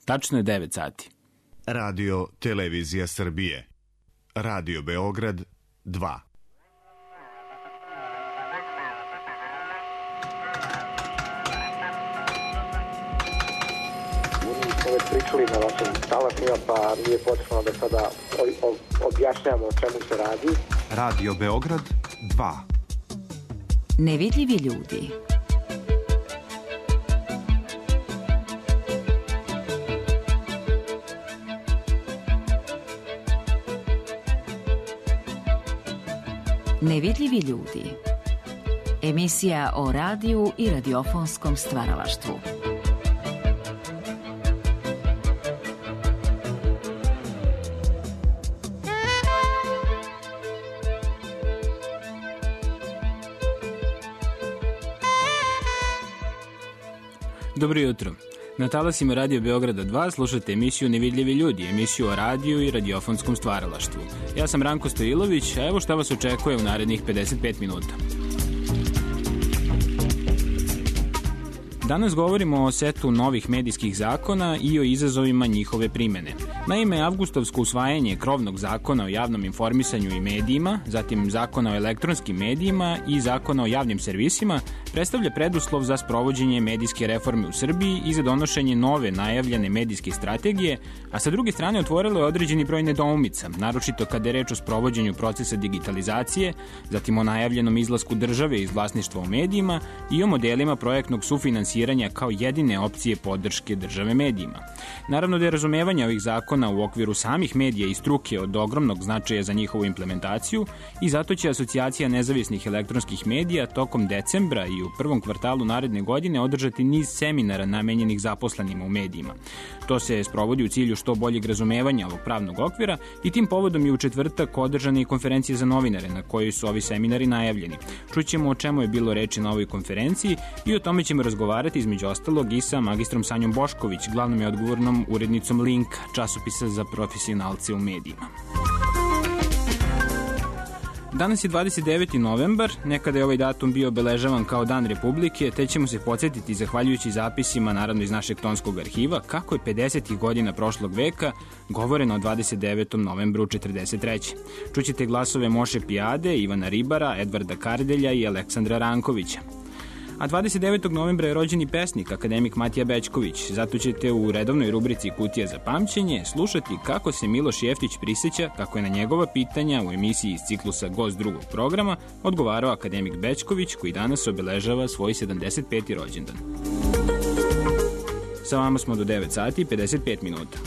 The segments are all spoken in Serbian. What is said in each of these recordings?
Tačno je 9 sati. Radio Televizija Srbije. Radio Beograd 2. Već pričali na vašim talasima, pa nije potrebno da sada objašnjamo o čemu se radi. Radio Beograd 2. Nevidljivi ljudi. Nevidljivi ljudi. Emisija o radiju i radiofonskom stvaralaštvu. Dobro jutro. Na talasima Radio Beograda 2 slušate emisiju Nevidljivi ljudi, emisiju o radiju i radiofonskom stvaralaštvu. Ja sam Ranko Stojilović, a evo šta vas očekuje u narednih 55 minuta. Danas govorimo o setu novih medijskih zakona i o izazovima njihove primene. Naime, avgustovsko usvajanje krovnog zakona o javnom informisanju i medijima, zatim zakona o elektronskim medijima i zakona o javnim servisima predstavlja preduslov za sprovođenje medijske reforme u Srbiji i za donošenje nove najavljene medijske strategije, a sa druge strane otvorilo je određeni broj nedoumica, naročito kada je reč o sprovođenju procesa digitalizacije, zatim o najavljenom izlasku države iz vlasništva u medijima i o modelima projektnog sufinansiranja kao jedine opcije podrške države medijima. Naravno da je razumevanje ovih zakona u okviru samih medija i struke od ogromnog značaja za njihovu implementaciju i zato će Asocijacija nezavisnih elektronskih medija tokom decembra i u prvom kvartalu naredne godine održati niz seminara namenjenih zaposlenima u medijima. To se sprovodi u cilju što boljeg razumevanja ovog pravnog okvira i tim povodom je u četvrtak održana i konferencija za novinare na kojoj su ovi seminari najavljeni. Čućemo o čemu je bilo reči na ovoj konferenciji i o tome ćemo razgovarati između ostalog i sa magistrom Sanjom Bošković, glavnom i odgovornom urednicom Linka, časopisa za profesionalce u medijima. Danas je 29. novembar, nekada je ovaj datum bio obeležavan kao Dan Republike, te ćemo se podsjetiti, zahvaljujući zapisima, naravno iz našeg tonskog arhiva, kako je 50. godina prošlog veka govoreno o 29. novembru 1943. Čućete glasove Moše Pijade, Ivana Ribara, Edvarda Kardelja i Aleksandra Rankovića. A 29. novembra je rođen i pesnik, akademik Matija Bećković. Zato ćete u redovnoj rubrici Kutija za pamćenje slušati kako se Miloš Jeftić priseća kako je na njegova pitanja u emisiji iz ciklusa Gost drugog programa odgovarao akademik Bećković, koji danas obeležava svoj 75. rođendan. Sa vama smo do 9 sati i 55 minuta.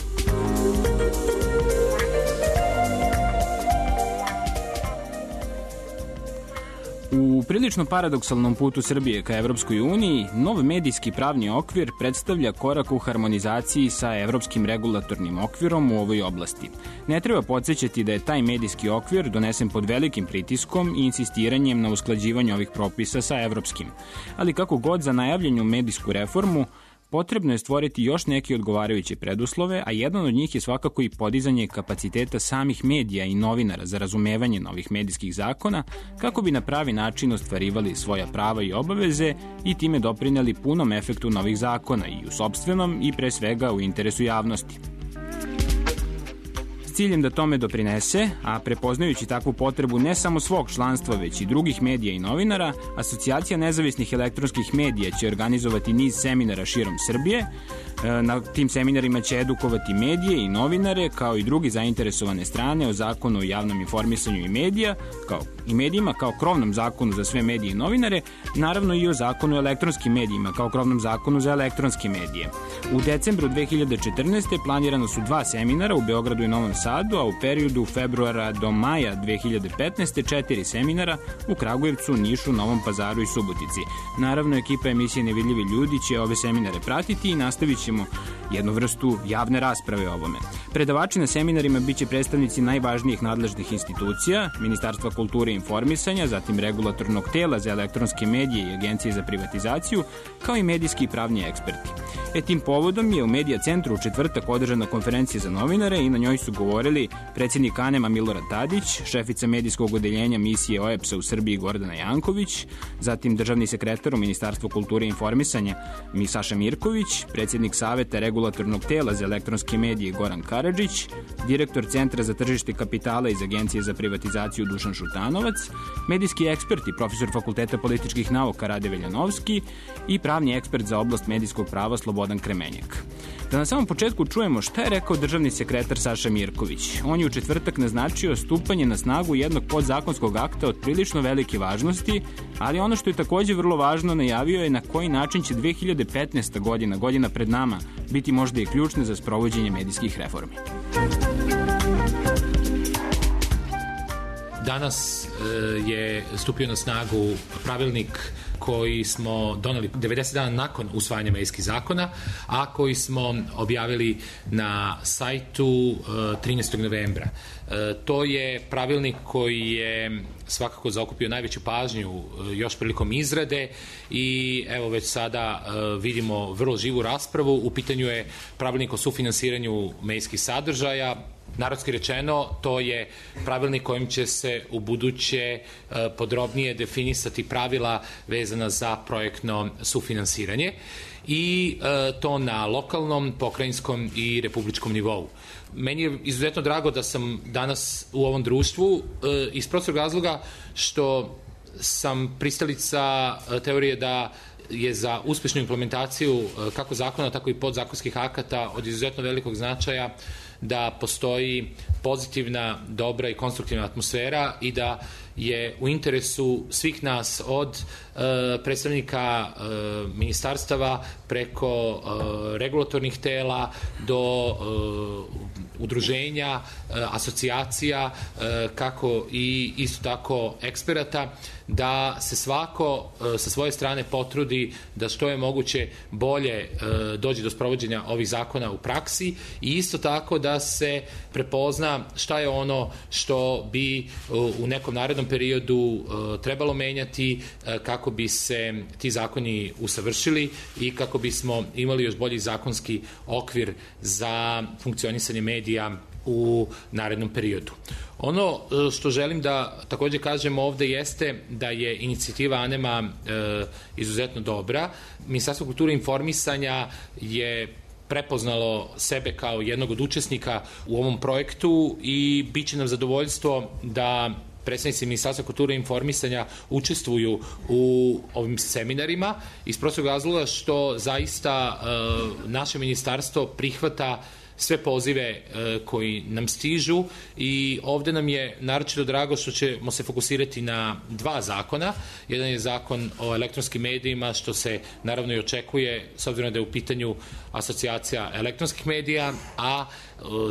U prilično paradoksalnom putu Srbije ka Evropskoj uniji, nov medijski pravni okvir predstavlja korak u harmonizaciji sa evropskim regulatornim okvirom u ovoj oblasti. Ne treba podsjećati da je taj medijski okvir donesen pod velikim pritiskom i insistiranjem na usklađivanju ovih propisa sa evropskim. Ali kako god za najavljenu medijsku reformu, potrebno je stvoriti još neke odgovarajuće preduslove, a jedan od njih je svakako i podizanje kapaciteta samih medija i novinara za razumevanje novih medijskih zakona, kako bi na pravi način ostvarivali svoja prava i obaveze i time doprineli punom efektu novih zakona i u sopstvenom i pre svega u interesu javnosti. S ciljem da tome doprinese, a prepoznajući takvu potrebu ne samo svog članstva, već i drugih medija i novinara, Asocijacija nezavisnih elektronskih medija će organizovati niz seminara širom Srbije. Na tim seminarima će edukovati medije i novinare, kao i drugi zainteresovane strane o zakonu o javnom informisanju i medijima kao krovnom zakonu za sve medije i novinare, naravno i o zakonu o elektronskim medijima kao krovnom zakonu za elektronske medije. U decembru 2014. planirano su 2 seminara u Beogradu i Novom Sadu, a u periodu februara do maja 2015. 4 seminara u Kragujevcu, Nišu, Novom Pazaru i Subotici. Naravno, ekipa emisije Nevidljivi ljudi će ove seminare pratiti i nastavit ćemo jednu vrstu javne rasprave o ovome. Predavači na seminarima biće predstavnici najvažnijih nadležnih institucija, Ministarstva kulture i informisanja, zatim regulatornog tela za elektronske medije i Agencije za privatizaciju, kao i medijski i pravni eksperti. Tim povodom je u Medija centru u četvrtak održana konferencija za novinare i na njoj su govorili predsjednik ANEM-a Milorad Tadić, šefica medijskog odeljenja misije OEBS-a u Srbiji Gordana Janković, zatim državni sekretar u Ministarstvu kulture i informisanja Saša Mirković, predsjednik Saveta regulatornog Regulatornog tela za elektronske medije Goran Karadžić, direktor Centra za tržište kapitala iz Agencije za privatizaciju Dušan Šutanovac, medijski ekspert i profesor Fakulteta političkih nauka Rade Veljanovski i pravni ekspert za oblast medijskog prava Slobodan Kremenjak. Da na samom početku čujemo šta je rekao državni sekretar Saša Mirković. On je u četvrtak naznačio stupanje na snagu jednog podzakonskog akta od prilično velike važnosti, ali ono što je takođe vrlo važno, najavio je na koji način će 2015. godina pred nama, biti možda i ključna za sprovođenje medijskih reformi. Danas je stupio na snagu pravilnik koji smo doneli 90 dana nakon usvajanja medijskih zakona, a koji smo objavili na sajtu 13. novembra. To je pravilnik koji je svakako zaokupio najveću pažnju još prilikom izrade i evo već sada vidimo vrlo živu raspravu. U pitanju je pravilnik o sufinansiranju medijskih sadržaja. Narodski rečeno, to je pravilnik kojim će se u buduće podrobnije definisati pravila vezana za projektno sufinansiranje i to na lokalnom, pokrajinskom i republičkom nivou. Meni je izuzetno drago da sam danas u ovom društvu iz prostog razloga što sam pristalica teorije da je za uspešnu implementaciju kako zakona, tako i podzakonskih akata od izuzetno velikog značaja da postoji pozitivna, dobra i konstruktivna atmosfera i da je u interesu svih nas od predstavnika ministarstava preko regulatornih tela do udruženja, asocijacija, kako i isto tako eksperata, da se svako sa svoje strane potrudi da što je moguće bolje dođe do sprovođenja ovih zakona u praksi i isto tako da se prepozna šta je ono što bi u nekom narednom periodu trebalo menjati kako bi se ti zakoni usavršili i kako bismo imali još bolji zakonski okvir za funkcionisanje medija u narednom periodu. Ono što želim da takođe kažem ovde jeste da je inicijativa ANEM-a izuzetno dobra. Ministarstvo kulture i informisanja je prepoznalo sebe kao jednog od učesnika u ovom projektu i bit će nam zadovoljstvo da predstavnici Ministarstva kulture i informisanja učestvuju u ovim seminarima iz prostog razloga što zaista naše ministarstvo prihvata sve pozive koji nam stižu i ovde nam je naročito drago što ćemo se fokusirati na dva zakona. Jedan je zakon o elektronskim medijima, što se naravno i očekuje s obzirom da je u pitanju asocijacija elektronskih medija, a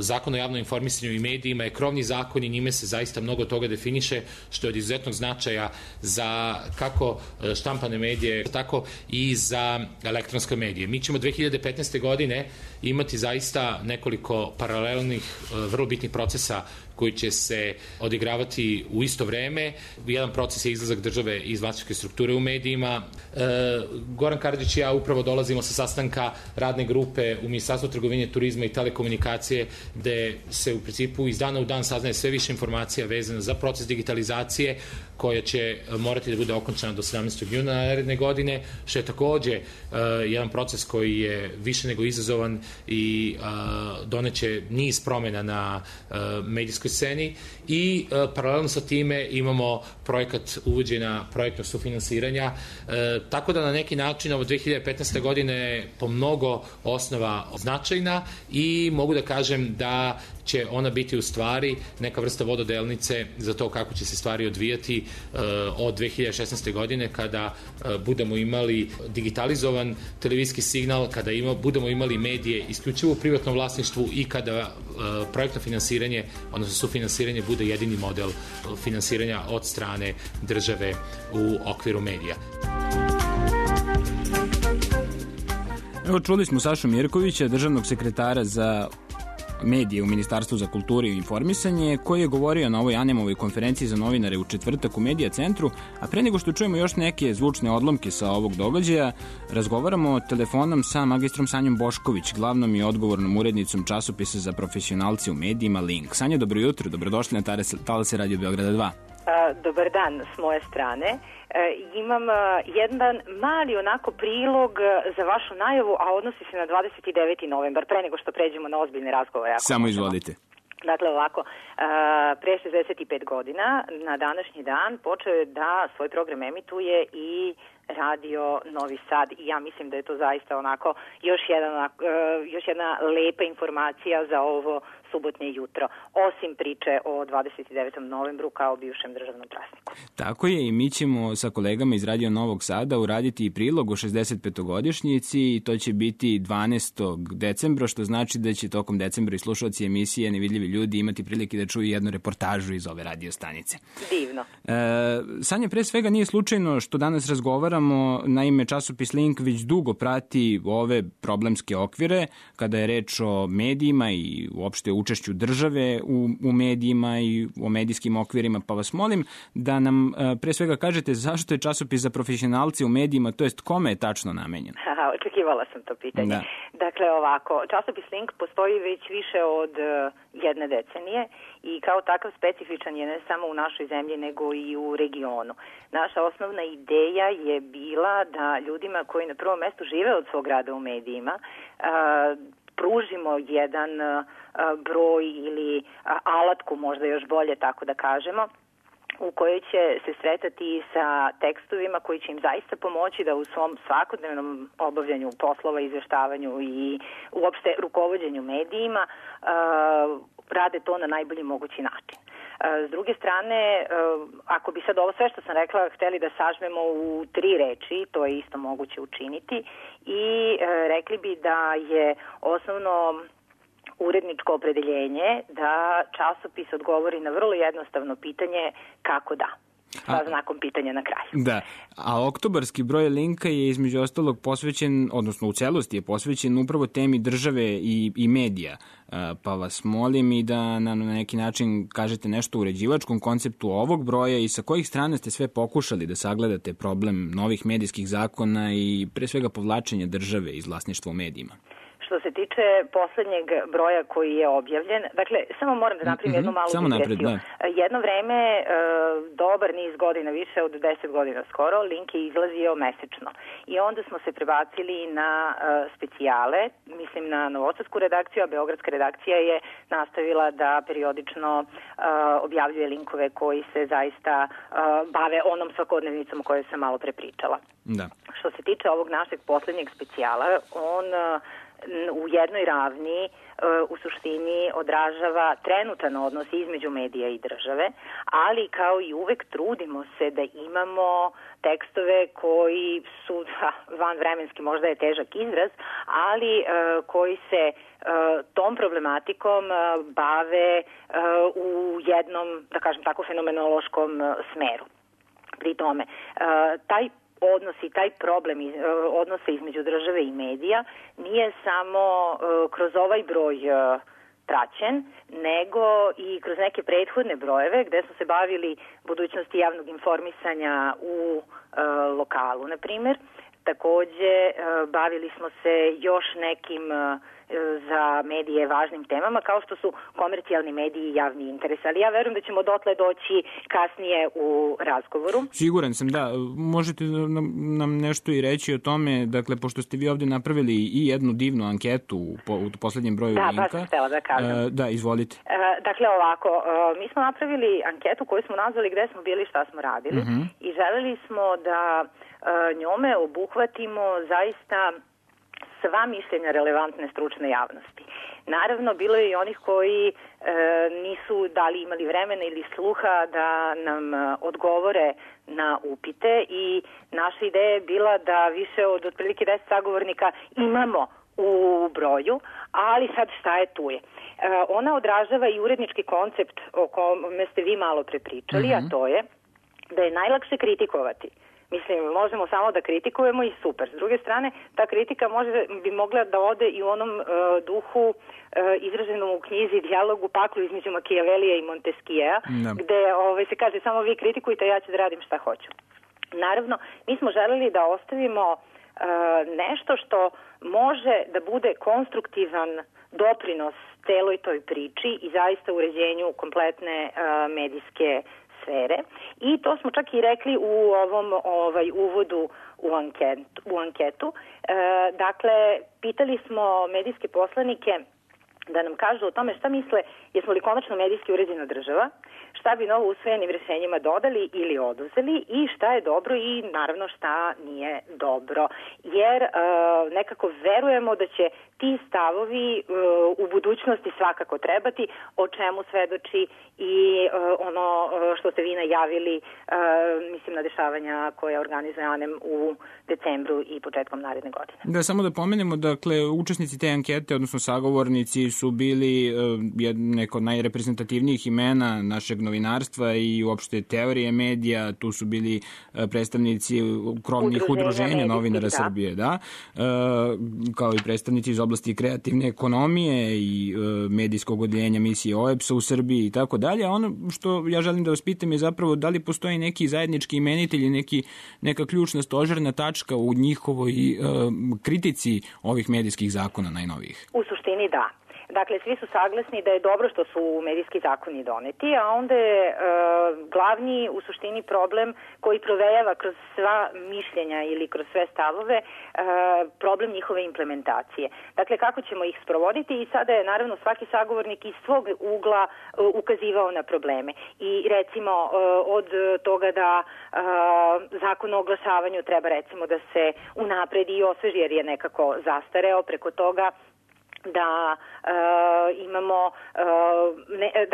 zakon o javnom informisanju i medijima je krovni zakon i njime se zaista mnogo toga definiše, što je od izuzetnog značaja za kako štampane medije, tako i za elektronske medije. Mi ćemo 2015. godine imati zaista nekoliko paralelnih, vrlo bitnih procesa koji će se odigravati u isto vreme. Jedan proces je izlazak države iz vlasničke strukture u medijima. Goran Karadžić i ja upravo dolazimo sa sastanka radne grupe u Ministarstvu trgovine, turizma i telekomunikacije, gde se u principu iz dana u dan saznaje sve više informacija vezana za proces digitalizacije, koja će morati da bude okončana do 17. juna naredne godine, što je takođe jedan proces koji je više nego izazovan i doneće niz promena na medijskoj sceni i paralelno sa time imamo projekat uvođenja projektnog sufinansiranja, tako da na neki način ovo 2015. godine je po mnogo osnova značajna i mogu da kažem da će ona biti u stvari neka vrsta vododelnice za to kako će se stvari odvijati od 2016. godine kada budemo imali digitalizovan televizijski signal, kada budemo imali medije isključivo u privatnom vlasništvu i kada projektno finansiranje, odnosno sufinansiranje bude jedini model finansiranja od strane države u okviru medija. Evo, čuli smo Sašu Mirkovića, državnog sekretara za medije u Ministarstvu za kulturu i informisanje, koji je govorio na ovoj ANEM-ovoj konferenciji za novinare u četvrtak u Medija centru, a pre nego što čujemo još neke zvučne odlomke sa ovog događaja, razgovaramo telefonom sa magistrom Sanjom Bošković, glavnom i odgovornom urednicom časopisa za profesionalce u medijima Link. Sanja, dobro jutro, dobrodošli na Talase Radio Beograda 2. Dobar dan s moje strane. Imam jedan mali onako prilog za vašu najavu, a odnosi se na 29. novembar, pre nego što pređemo na ozbiljne razgovore. Samo izvolite. Dakle, ovako, pre 65 godina, na današnji dan, počeo je da svoj program emituje i Radio Novi Sad i ja mislim da je to zaista onako još jedna lepa informacija za ovo subotnje jutro, osim priče o 29. novembru kao bivšem državnom prazniku. Tako je, i mi ćemo sa kolegama iz Radio Novog Sada uraditi i prilog o 65-godišnjici i to će biti 12. decembra, što znači da će tokom decembra i slušalci emisije Nevidljivi ljudi imati prilike da čuju jednu reportažu iz ove radio stanice. Divno. Sanja, pre svega nije slučajno što danas razgovaramo, naime časopis Link već dugo prati ove problemske okvire kada je reč o medijima i uopšte učešću države u medijima i o medijskim okvirima, pa vas molim da nam pre svega kažete zašto je časopis za profesionalce u medijima, to jest kome je tačno namenjen? Očekivala sam to pitanje. Da. Dakle, ovako, časopis Link postoji već više od jedne decenije i kao takav specifičan je ne samo u našoj zemlji nego i u regionu. Naša osnovna ideja je bila da ljudima koji na prvom mestu žive od svog rada u medijima pružimo jedan broj ili alatku, možda još bolje tako da kažemo, u kojoj će se sretati sa tekstovima koji će im zaista pomoći da u svom svakodnevnom obavljanju poslova, izveštavanju i uopšte rukovođenju medijima rade to na najbolji mogući način. S druge strane, ako bi sad ovo sve što sam rekla hteli da sažmemo u 3 reči, to je isto moguće učiniti i rekli bi da je osnovno uredničko opredeljenje da časopis odgovori na vrlo jednostavno pitanje kako da. Sa znakom pitanja na kraju. Da, a oktobarski broj Linka je između ostalog posvećen, odnosno u celosti je posvećen upravo temi države i medija. Pa vas molim i da na neki način kažete nešto o uređivačkom konceptu ovog broja i sa kojih strana ste sve pokušali da sagledate problem novih medijskih zakona i pre svega povlačenja države iz vlasništva u medijima. Što se tiče poslednjeg broja koji je objavljen, dakle, samo moram da napravim jednu malu digresiju. Jedno vreme, dobar niz godina, više od 10 godina skoro, Link je izlazio mesečno. I onda smo se prebacili na specijale, mislim na novosadsku redakciju, a beogradska redakcija je nastavila da periodično objavljuje linkove koji se zaista bave onom svakodnevnicom o kojoj sam malo prepričala. Da. Što se tiče ovog našeg poslednjeg specijala, on u jednoj ravni u suštini odražava trenutan odnos između medija i države, ali kao i uvek trudimo se da imamo tekstove koji su vanvremenski, možda je težak izraz, ali koji se tom problematikom bave u jednom, da kažem tako, fenomenološkom smeru. Pri tome, taj odnos i taj problem odnosa između države i medija nije samo kroz ovaj broj praćen, nego i kroz neke prethodne brojeve gde smo se bavili budućnosti javnog informisanja u lokalu, na primjer. Takođe, bavili smo se još nekim za medije važnim temama, kao što su komercijalni mediji i javni interes. Ali ja verujem da ćemo dotle doći kasnije u razgovoru. Siguran sam, da. Možete nam nešto i reći o tome, dakle, pošto ste vi ovde napravili i jednu divnu anketu u poslednjem broju Linka. Da, baš sam htela da kažem. Da, izvolite. Dakle, ovako, mi smo napravili anketu koju smo nazvali Gde smo bili, šta smo radili i želeli smo da njome obuhvatimo zaista sva mišljenja relevantne stručne javnosti. Naravno, bilo je i onih koji nisu dali imali vremena ili sluha da nam odgovore na upite i naša ideja je bila da više od otprilike 10 sagovornika imamo u broju, ali sad šta je tu je. Ona odražava i urednički koncept o kome ste vi malo prepričali, a to je da je najlakše kritikovati. Mislim, možemo samo da kritikujemo i super. S druge strane, ta kritika bi mogla da ode i u onom duhu izraženom u knjizi Dijalog u paklu između Makijavelija i Montesquieu, gde se kaže samo vi kritikujte, ja ću da radim šta hoću. Naravno, mi smo želeli da ostavimo nešto što može da bude konstruktivan doprinos celoj toj priči i zaista uređenju kompletne medijske sfere i to smo čak i rekli u ovom uvodu u anketu. Dakle, pitali smo medijske poslanike da nam kažu o tome šta misle, jesmo li konačno medijski uređena država, šta bi novo usvojenim rješenjima dodali ili oduzeli i šta je dobro i naravno šta nije dobro. Jer nekako verujemo da će ti stavovi u budućnosti svakako trebati, o čemu svedoči i ono što ste vi najavili, mislim na dešavanja koje organizuje ANEM u decembru i početkom naredne godine. Da, samo da pomenemo, dakle, učesnici te ankete, odnosno sagovornici, su bili neko od najreprezentativnijih imena našeg novinarstva i uopšte teorije medija. Tu su bili predstavnici krovnih udruženja novinara Srbije, da, kao i predstavnici iz oblasti kreativne ekonomije i medijskog odeljenja misije OEBS-a u Srbiji i tako dalje. Ono što ja želim da vas pitam je zapravo da li postoji neki zajednički imenitelj ili neka ključna stožerna tačka u njihovoj kritici ovih medijskih zakona najnovijih? U suštini da. Dakle, svi su saglasni da je dobro što su medijski zakoni doneti, a onda je glavni u suštini problem koji provejava kroz sva mišljenja ili kroz sve stavove, problem njihove implementacije. Dakle, kako ćemo ih sprovoditi i sada je naravno svaki sagovornik iz svog ugla ukazivao na probleme. I recimo od toga da zakon o oglašavanju treba recimo da se unapredi i osveži jer je nekako zastareo, preko toga da imamo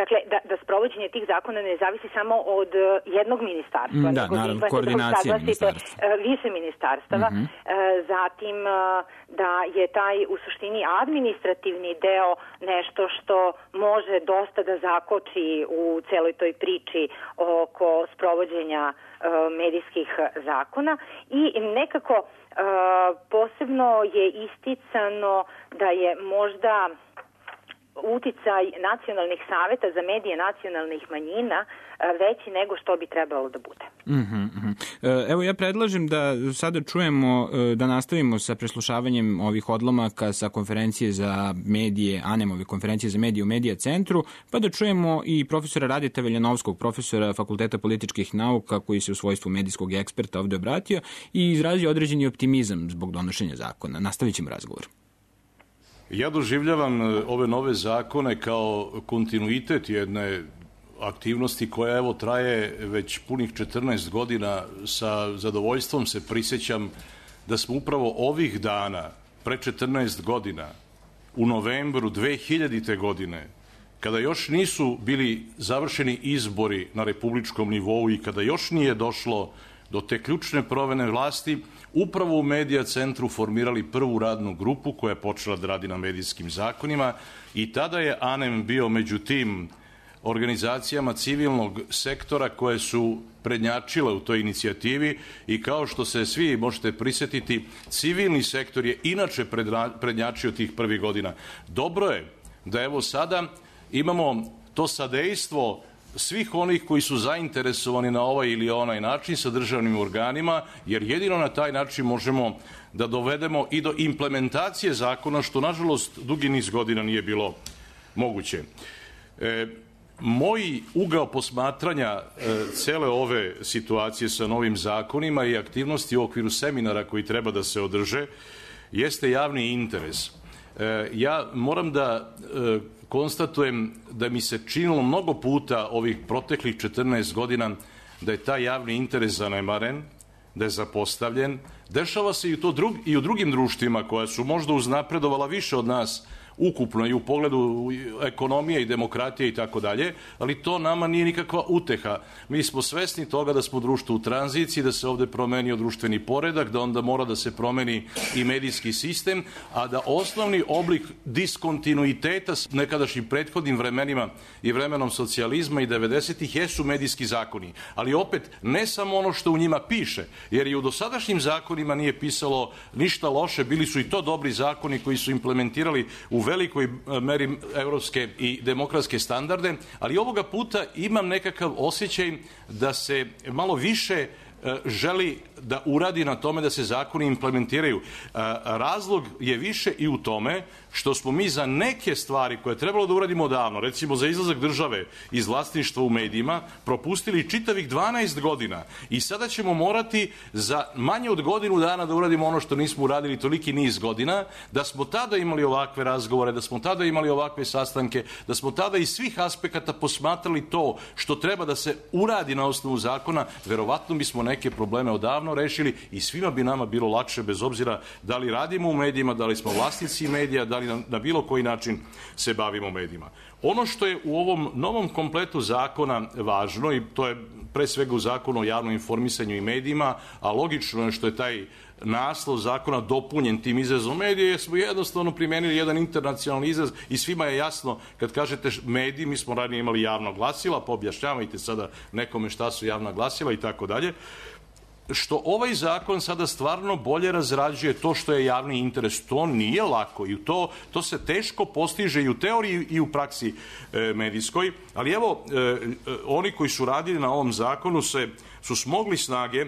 dakle da sprovođenje tih zakona ne zavisi samo od jednog ministarstva, nego naravno koordinacija više ministarstava. Zatim da je taj u suštini administrativni deo nešto što može dosta da zakoči u celoj toj priči oko sprovođenja medijskih zakona i nekako posebno je isticano da je možda uticaj nacionalnih saveta za medije nacionalnih manjina veći nego što bi trebalo da bude. Evo, ja predlažem da sada čujemo, da nastavimo sa preslušavanjem ovih odlomaka sa konferencije za medije, ANEM-ove konferencije za medije u Medija centru, pa da čujemo i profesora Radeta Veljanovskog, profesora Fakulteta političkih nauka, koji se u svojstvu medijskog eksperta ovde obratio i izrazio određeni optimizam zbog donošenja zakona. Nastavit ćemo razgovor. Ja doživljavam ove nove zakone kao kontinuitet jedne aktivnosti koja evo traje već punih 14 godina. Sa zadovoljstvom se prisjećam da smo upravo ovih dana, pre 14 godina, u novembru 2000. godine, kada još nisu bili završeni izbori na republičkom nivou i kada još nije došlo do te ključne promene vlasti, upravo u Medija centru formirali prvu radnu grupu koja je počela da radi na medijskim zakonima i tada je ANEM bio među tim organizacijama civilnog sektora koje su prednjačile u toj inicijativi i kao što se svi možete prisjetiti, civilni sektor je inače prednjačio tih prvih godina. Dobro je da evo sada imamo to sadejstvo svih onih koji su zainteresovani na ovaj ili onaj način sa državnim organima, jer jedino na taj način možemo da dovedemo i do implementacije zakona, što nažalost dugi niz godina nije bilo moguće. Moj ugao posmatranja cele ove situacije sa novim zakonima i aktivnosti u okviru seminara koji treba da se održe jeste javni interes. Ja moram da konstatujem da mi se činilo mnogo puta ovih proteklih 14 godina da je taj javni interes zanemaren, da je zapostavljen. Dešava se i u drugim društvima koja su možda uznapredovala više od nas ukupno i u pogledu ekonomije i demokratije i tako dalje, ali to nama nije nikakva uteha. Mi smo svesni toga da smo društvo u tranziciji, da se ovde promenio društveni poredak, da onda mora da se promeni i medijski sistem, a da osnovni oblik diskontinuiteta s nekadašnjim prethodnim vremenima i vremenom socijalizma i 90-ih jesu medijski zakoni. Ali opet, ne samo ono što u njima piše, jer i u dosadašnjim zakonima nije pisalo ništa loše, bili su i to dobri zakoni koji su implementirali u velikoj meri evropske i demokratske standarde, ali ovoga puta imam nekakav osjećaj da se malo više želi da uradi na tome da se zakoni implementiraju. Razlog je više i u tome što smo mi za neke stvari koje je trebalo da uradimo odavno, recimo za izlazak države iz vlasništva u medijima, propustili čitavih 12 godina i sada ćemo morati za manje od godinu dana da uradimo ono što nismo uradili toliki niz godina, da smo tada imali ovakve razgovore, da smo tada imali ovakve sastanke, da smo tada iz svih aspekata posmatrali to što treba da se uradi na osnovu zakona, verovatno bismo neke probleme odavno rešili i svima bi nama bilo lakše, bez obzira da li radimo u medijima, da li smo vlasnici medija, da li na bilo koji način se bavimo medijima. Ono što je u ovom novom kompletu zakona važno, i to je pre svega u zakonu o javnom informisanju i medijima, a logično je što je taj naslov zakona dopunjen tim izrazom medije, jer smo jednostavno primenili jedan internacionalni izraz i svima je jasno kad kažete mediji, mi smo ranije imali javna glasila, pa objašnjavajte sada nekome šta su javna glasila i tako dalje. Što ovaj zakon sada stvarno bolje razrađuje to što je javni interes. To nije lako i to se teško postiže i u teoriji i u praksi medijskoj, ali evo, oni koji su radili na ovom zakonu su smogli snage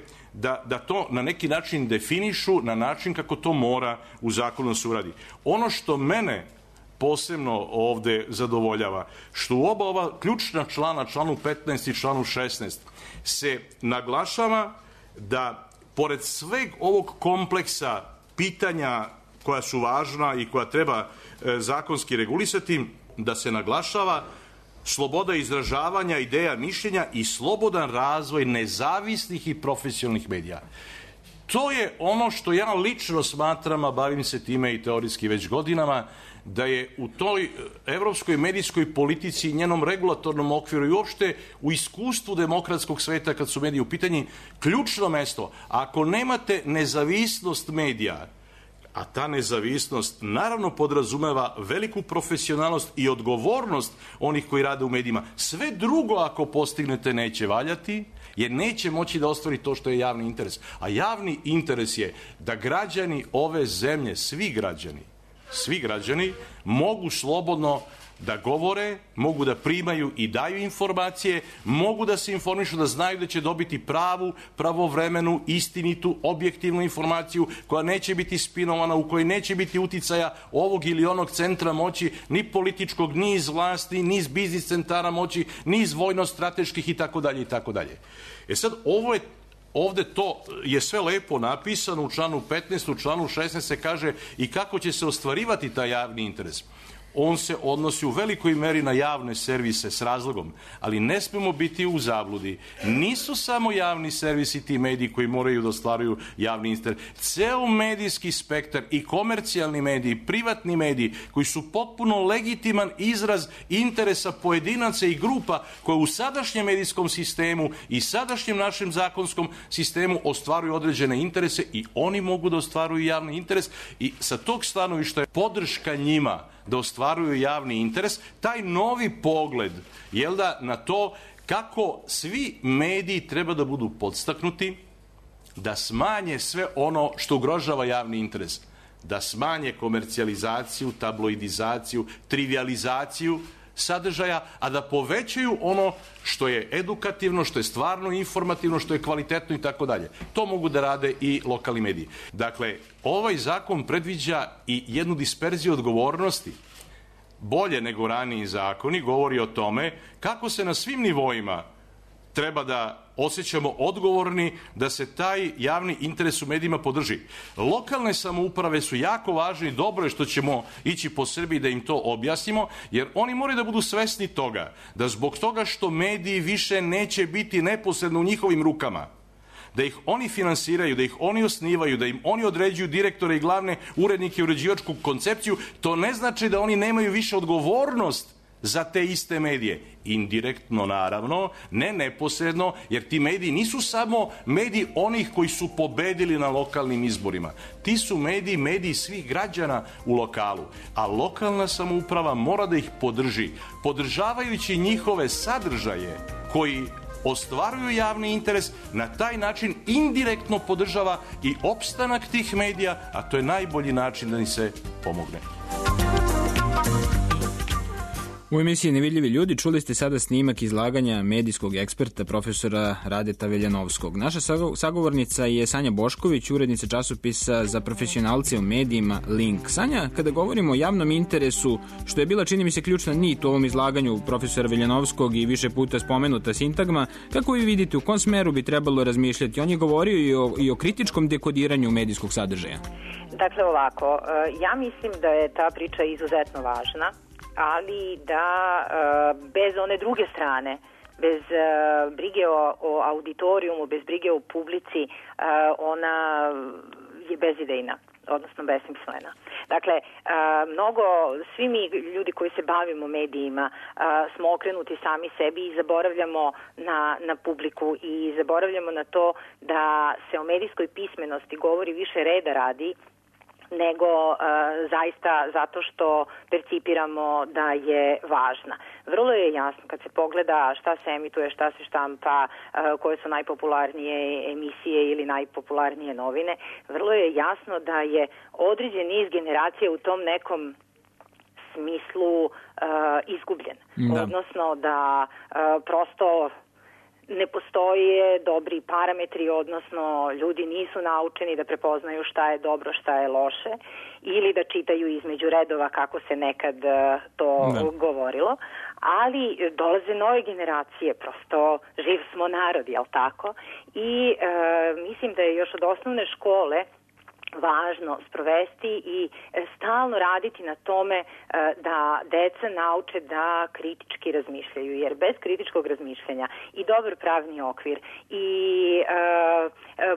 da to na neki način definišu na način kako to mora u zakonu se uradi. Ono što mene posebno ovde zadovoljava, što u oba ova ključna člana, članu 15 i članu 16, se naglašava da pored sveg ovog kompleksa pitanja koja su važna i koja treba zakonski regulisati, da se naglašava sloboda izražavanja, ideja, mišljenja i slobodan razvoj nezavisnih i profesionalnih medija. To je ono što ja lično smatram, a bavim se time i teorijski već godinama, da je u toj evropskoj medijskoj politici i njenom regulatornom okviru i uopšte u iskustvu demokratskog sveta kad su mediji u pitanju ključno mesto. Ako nemate nezavisnost medija, a ta nezavisnost naravno podrazumeva veliku profesionalnost i odgovornost onih koji rade u medijima, sve drugo ako postignete neće valjati, jer neće moći da ostvari to što je javni interes. A javni interes je da građani ove zemlje, svi građani mogu slobodno da govore, mogu da primaju i daju informacije, mogu da se informišu, da znaju da će dobiti pravu, pravovremenu, istinitu, objektivnu informaciju koja neće biti spinovana, u kojoj neće biti uticaja ovog ili onog centra moći, ni političkog, ni iz vlasti, ni iz biznis centara moći, ni iz vojno-strateških itd. itd. E sad, ovde to je sve lepo napisano u članu 15, u članu 16 se kaže i kako će se ostvarivati taj javni interes. On se odnosi u velikoj meri na javne servise s razlogom, ali ne smemo biti u zabludi. Nisu samo javni servisi ti mediji koji moraju da ostvaruju javni interes. Ceo medijski spektar i komercijalni mediji, privatni mediji, koji su potpuno legitiman izraz interesa pojedinaca i grupa koje u sadašnjem medijskom sistemu i sadašnjem našem zakonskom sistemu ostvaruju određene interese i oni mogu da ostvaruju javni interes i sa tog stanovišta je podrška njima da ostvaruju javni interes, taj novi pogled, na to kako svi mediji treba da budu podstaknuti, da smanje sve ono što ugrožava javni interes, da smanje komercijalizaciju, tabloidizaciju, trivializaciju sadržaja, a da povećaju ono što je edukativno, što je stvarno informativno, što je kvalitetno i tako dalje. To mogu da rade i lokalni mediji. Dakle, ovaj zakon predviđa i jednu disperziju odgovornosti. Bolje nego raniji zakoni govori o tome kako se na svim nivoima treba da osjećamo odgovorni da se taj javni interes u medijima podrži. Lokalne samouprave su jako važne i dobro je što ćemo ići po Srbiji da im to objasnimo, jer oni moraju da budu svesni toga, da zbog toga što mediji više neće biti neposredno u njihovim rukama, da ih oni finansiraju, da ih oni osnivaju, da im oni određuju direktore i glavne urednike i uređivačku koncepciju, to ne znači da oni nemaju više odgovornost za te iste medije. Indirektno, naravno, ne neposredno, jer ti mediji nisu samo mediji onih koji su pobedili na lokalnim izborima. Ti su mediji svih građana u lokalu, a lokalna samouprava mora da ih podrži, podržavajući njihove sadržaje koji ostvaruju javni interes, na taj način indirektno podržava i opstanak tih medija, a to je najbolji način da im se pomogne. U emisiji Nevidljivi ljudi čuli ste sada snimak izlaganja medijskog eksperta profesora Radeta Veljanovskog. Naša sagovornica je Sanja Bošković, urednica časopisa za profesionalce u medijima Link. Sanja, kada govorimo o javnom interesu, što je bila, čini mi se, ključna nit u ovom izlaganju profesora Veljanovskog i više puta spomenuta sintagma, kako vi vidite u kom smeru bi trebalo razmišljati? On je govorio i o kritičkom dekodiranju medijskog sadržaja. Dakle, ovako, ja mislim da je ta priča izuzetno važna, ali da bez one druge strane, bez brige o auditorijumu, bez brige o publici, ona je bezidejna, odnosno besmislena. Dakle, svi mi ljudi koji se bavimo medijima smo okrenuti sami sebi i zaboravljamo na publiku i zaboravljamo na to da se o medijskoj pismenosti govori više reda radi nego zaista zato što percipiramo da je važna. Vrlo je jasno kad se pogleda šta se emituje, šta se štampa, koje su najpopularnije emisije ili najpopularnije novine, vrlo je jasno da je određen niz generacija u tom nekom smislu izgubljen. Da. Odnosno da prosto ne postoje dobri parametri, odnosno ljudi nisu naučeni da prepoznaju šta je dobro, šta je loše, ili da čitaju između redova kako se nekad to govorilo, ali dolaze nove generacije, prosto živ smo narod, jel tako? I mislim da je još od osnovne škole važno sprovesti i stalno raditi na tome da deca nauče da kritički razmišljaju, jer bez kritičkog razmišljanja i dobar pravni okvir i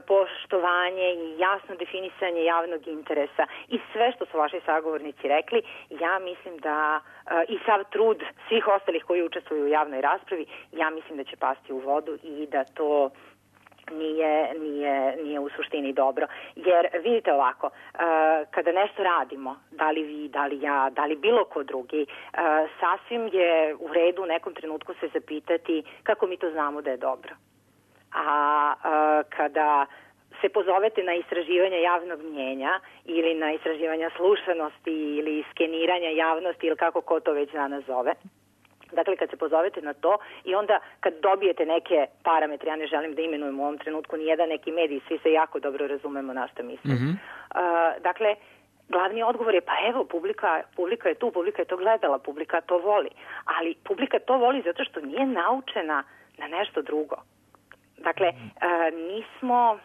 poštovanje i jasno definisanje javnog interesa i sve što su vaši sagovornici rekli, ja mislim da i sav trud svih ostalih koji učestvuju u javnoj raspravi, ja mislim da će pasti u vodu i da to nije u suštini dobro. Jer vidite ovako, kada nešto radimo, da li vi, da li ja, da li bilo ko drugi, sasvim je u redu u nekom trenutku se zapitati kako mi to znamo da je dobro. A kada se pozovete na istraživanja javnog mnjenja ili na istraživanja slušanosti ili skeniranja javnosti ili kako ko to već danas zove, dakle, kad se pozovete na to i onda kad dobijete neke parametre, ja ne želim da imenujem u ovom trenutku nijedan neki medij, svi se jako dobro razumemo na što mislim. Dakle, glavni odgovor je, pa evo, publika je tu, publika je to gledala, publika to voli. Ali publika to voli zato što nije naučena na nešto drugo. Dakle, nismo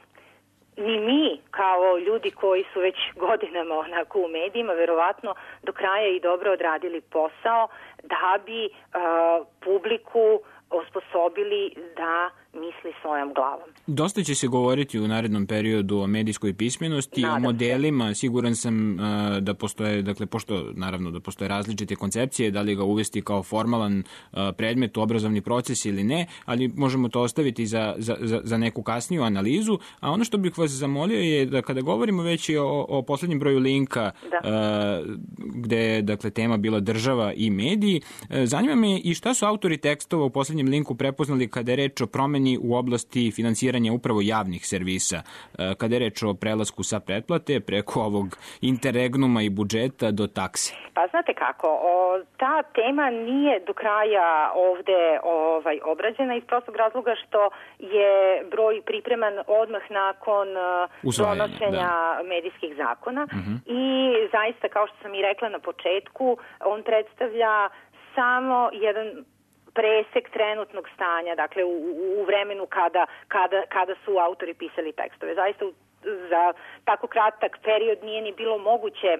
ni mi kao ljudi koji su već godinama onako u medijima verovatno do kraja i dobro odradili posao da bi publiku osposobili da misli svojom glavom. Dosta će se govoriti u narednom periodu o medijskoj pismenosti, o modelima. Siguran sam da postoje, dakle, pošto naravno da postoje različite koncepcije, da li ga uvesti kao formalan predmet u obrazovni proces ili ne, ali možemo to ostaviti za neku kasniju analizu. A ono što bih vas zamolio je da kada govorimo već i o poslednjem broju Linka, gde je, dakle, tema bila država i mediji, zanima me i šta su autori tekstova u poslednjem Linku prepoznali kada je reč o promeni u oblasti finansiranja upravo javnih servisa, kada je reč o prelasku sa pretplate preko ovog interregnuma i budžeta do takse? Pa znate kako, ta tema nije do kraja ovde obrađena iz prostog razloga što je broj pripreman odmah nakon donošenja medijskih zakona i zaista, kao što sam i rekla na početku, on predstavlja samo jedan presek trenutnog stanja, dakle u vremenu kada su autori pisali tekstove. Zaista za tako kratak period nije ni bilo moguće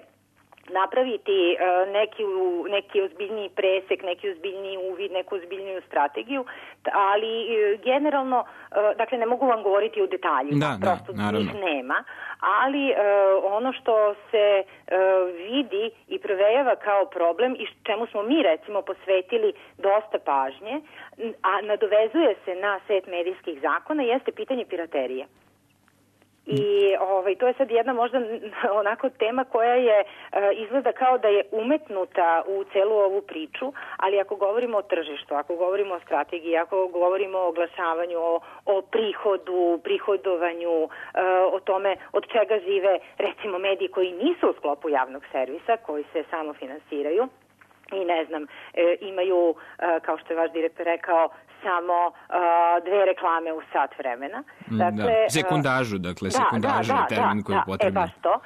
napraviti neki ozbiljniji presek, neki ozbiljniji uvid, neku ozbiljniju strategiju, ali generalno, dakle, ne mogu vam govoriti u detaljima, prosto njih nema, ali ono što se vidi i provejava kao problem i čemu smo mi, recimo, posvetili dosta pažnje, a nadovezuje se na set medijskih zakona, jeste pitanje piraterije. I to je sad jedna možda onako tema koja je izgleda kao da je umetnuta u celu ovu priču, ali ako govorimo o tržištu, ako govorimo o strategiji, ako govorimo o oglašavanju, o prihodovanju, o tome od čega žive recimo mediji koji nisu u sklopu javnog servisa, koji se samo finansiraju, i ne znam, imaju, kao što je vaš direktor rekao, samo 2 reklame u sat vremena. Dakle, sekundažu, sekundaža je termin koji je potreban. Baš to.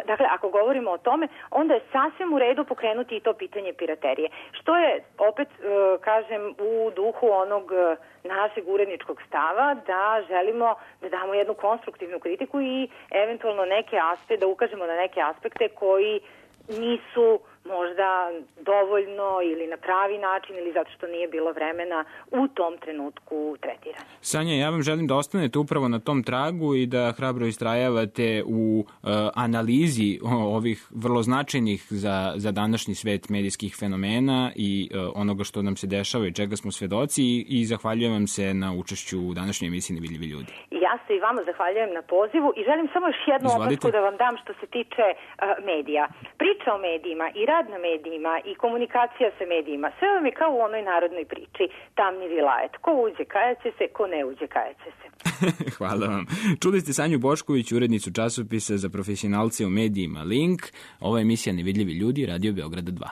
Dakle, ako govorimo o tome, onda je sasvim u redu pokrenuti i to pitanje piraterije. Što je, opet, kažem, u duhu onog našeg uredničkog stava, da želimo da damo jednu konstruktivnu kritiku i eventualno da ukažemo na neke aspekte koji nisu možda dovoljno ili na pravi način ili zato što nije bilo vremena u tom trenutku tretirani. Sanja, ja vam želim da ostanete upravo na tom tragu i da hrabro istrajavate u analizi ovih vrlo značajnih za današnji svet medijskih fenomena i onoga što nam se dešava i čega smo svedoci i zahvaljujem vam se na učešću u današnjoj emisiji Nevidljivi ljudi. Ja se i vama zahvaljujem na pozivu i želim samo još jednu opasku da vam dam što se tiče medija. Priča o medijima i rad na medijima i komunikacija sa medijima, sve vam je kao u onoj narodnoj priči, tamni vilajet. Ko uđe kajaće se, ko ne uđe kajaće se. Hvala vam. Čuli ste Sanju Bošković, urednicu časopisa za profesionalce u medijima Link. Ova emisija Nevidljivi ljudi, Radio Beograda 2.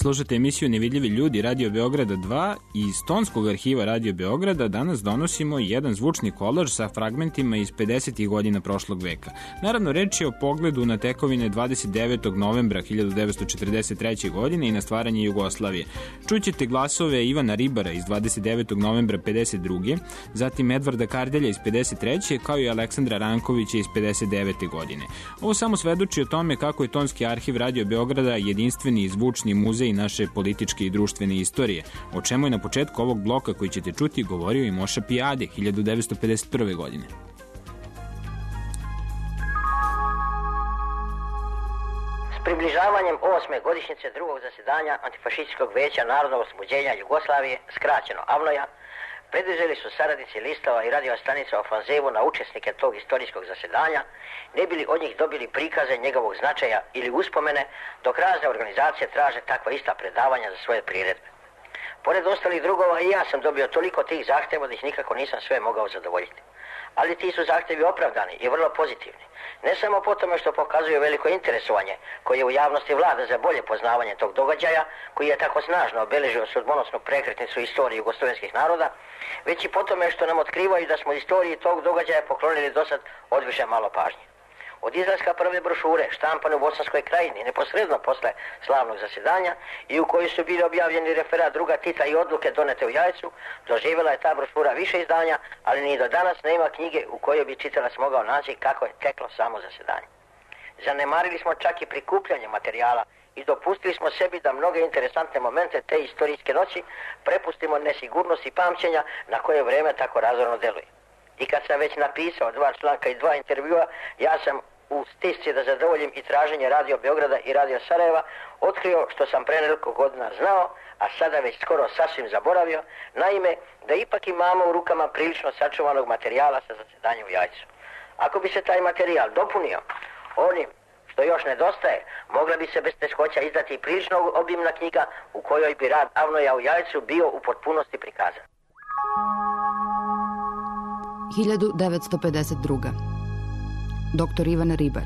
Slušate emisiju Nevidljivi ljudi Radio Beograda 2 i iz tonskog arhiva Radio Beograda danas donosimo jedan zvučni kolaž sa fragmentima iz 50. godina prošlog veka. Naravno, reč je o pogledu na tekovine 29. novembra 1943. godine i na stvaranje Jugoslavije. Čućete glasove Ivana Ribara iz 29. novembra 52. zatim Edvarda Kardelja iz 53. kao i Aleksandra Rankovića iz 59. godine. Ovo samo svedoči o tome kako je tonski arhiv Radio Beograda jedinstveni i zvučni muzej naše političke i društvene istorije, o čemu je na početku ovog bloka koji ćete čuti govorio i Moša Pijade 1951. godine. S približavanjem 8. godišnjice drugog zasedanja Antifašističkog veća Narodnog oslobođenja Jugoslavije, skraćeno AVNOJ-a, preduzeli su saradnici listova i radio stanica ofanzivu na učesnike tog istorijskog zasedanja, ne bili od njih dobili prikaze njegovog značaja ili uspomene, dok razne organizacije traže takva ista predavanja za svoje priredbe. Pored ostalih drugova i ja sam dobio toliko tih zahtjeva da ih nikako nisam sve mogao zadovoljiti. Ali ti su zahtjevi opravdani i vrlo pozitivni. Ne samo po tome što pokazuju veliko interesovanje koje u javnosti vlada za bolje poznavanje tog događaja, koji je tako snažno obeležio sudbonosnu prekretnicu istorije jugoslovenskih naroda, već i po tome što nam otkrivaju da smo istoriji tog događaja poklonili dosad odviše malo pažnje. Od izlaska prve brošure, štampane u Bosanskoj krajini, neposredno posle slavnog zasedanja i u kojoj su bili objavljeni referat druga Tita i odluke donete u Jajcu, doživjela je ta brošura više izdanja, ali ni do danas nema knjige u kojoj bi čitalac mogao naći kako je teklo samo zasedanje. Zanemarili smo čak i prikupljanje materijala i dopustili smo sebi da mnoge interesantne momente te istorijske noći prepustimo nesigurnosti pamćenja na koje vreme tako razorno deluje. I kad sam već napisao 2 članka i 2 intervjua, ja sam u stisci da zadovoljim i traženje Radio Beograda i Radio Sarajeva otkrio što sam pre nekoliko godina znao, a sada već skoro sasvim zaboravio, naime da ipak imamo u rukama prilično sačuvanog materijala sa zasedanja u Jajcu. Ako bi se taj materijal dopunio onim što još nedostaje, mogla bi se bez teškoća izdati prilično obimna knjiga u kojoj bi rad AVNOJ-a u Jajcu bio u potpunosti prikazan. 1952. Dr. Ivan Ribar.